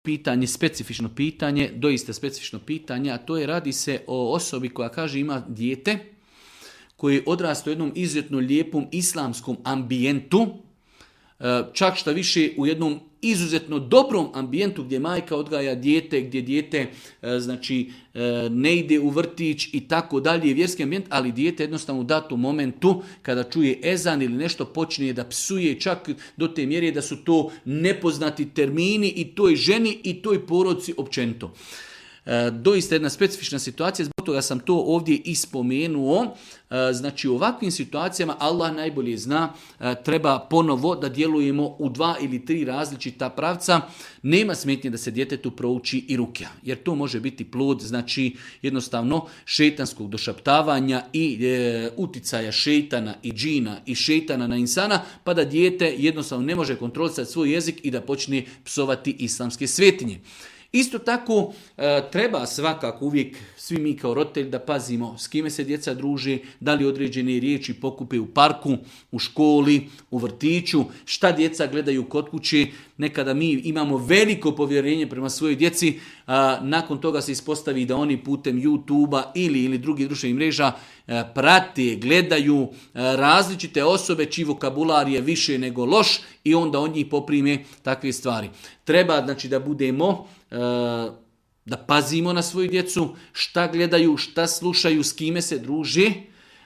pitanje, specifično pitanje, doista specifično pitanje, a to je radi se o osobi koja kaže ima dijete koji odrasta u jednom izuzetno lijepom islamskom ambijentu, čak šta više u jednom izuzetno dobrom ambijentu gdje majka odgaja dijete, gdje dijete ne ide u vrtić i tako dalje, vjerski ambijent, ali dijete jednostavno u datom momentu kada čuje ezan ili nešto počne da psuje čak do te mjere da su to nepoznati termini i toj ženi i toj porodci općenito. Doista jedna specifična situacija, zbog toga sam to ovdje ispomenuo. Znači u ovakvim situacijama Allah najbolje zna, treba ponovo da djelujemo u 2 ili 3 različita pravca. Nema smetnje da se djetetu prouči i rukja, jer to može biti plod, znači jednostavno šejtanskog došaptavanja i uticaja šejtana i džina i šejtana na insana, pa da dijete jednostavno ne može kontrolisati svoj jezik i da počne psovati islamske svetinje. Isto tako treba svakako uvijek svi mi kao roditelji da pazimo s kime se djeca druže, da li određene riječi pokupe u parku, u školi, u vrtiću, šta djeca gledaju kod kuće. Nekada mi imamo veliko povjerenje prema svojoj djeci, nakon toga se ispostavi da oni putem YouTube-a ili drugih društvenih mreža prate, gledaju različite osobe čiji vokabular je više nego loš i onda od njih poprime takve stvari. Treba znači da budemo, da pazimo na svoju djecu, šta gledaju, šta slušaju, s kime se druže,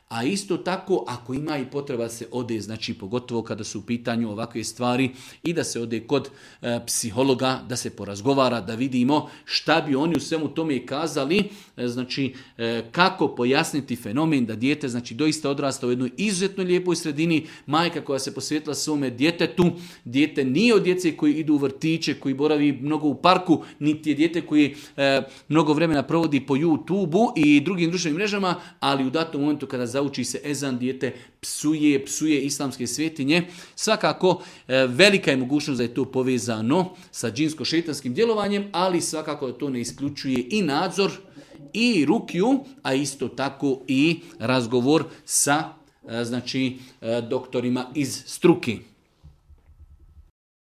a isto tako ako ima i potreba da se ode, znači pogotovo kada su u pitanju ovakve stvari i da se ode kod psihologa, da se porazgovara, da vidimo šta bi oni u svemu tome kazali, znači kako pojasniti fenomen da dijete znači doista odrasta u jednoj izuzetno lijepoj sredini, majka koja se posvetila svome djetetu, dijete nije od djece koji idu u vrtiće, koji boravi mnogo u parku, niti je dijete koji mnogo vremena provodi po YouTube-u i drugim društvenim mrežama, ali u datom momentu kada zauči se ezan, dijete psuje islamske svetinje. Svakako velika je mogućnost da je to povezano sa džinsko-šejtanskim djelovanjem, ali svakako da to ne isključuje i nadzor i rukju, a isto tako i razgovor sa doktorima iz struke.